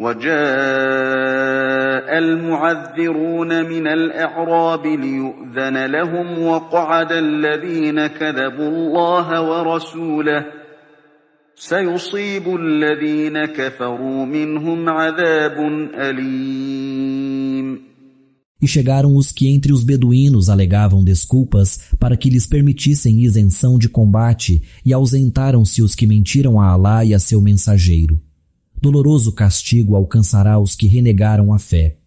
وجاء المعذرون من الأعراب ليؤذن لهم وقعد الذين كذبوا الله ورسوله سيصيب الذين كفروا منهم عذاب أليم. E chegaram os que entre os beduínos alegavam desculpas para que lhes permitissem isenção de combate e ausentaram-se os que mentiram a Alá e a seu mensageiro. Doloroso castigo alcançará os que renegaram a fé.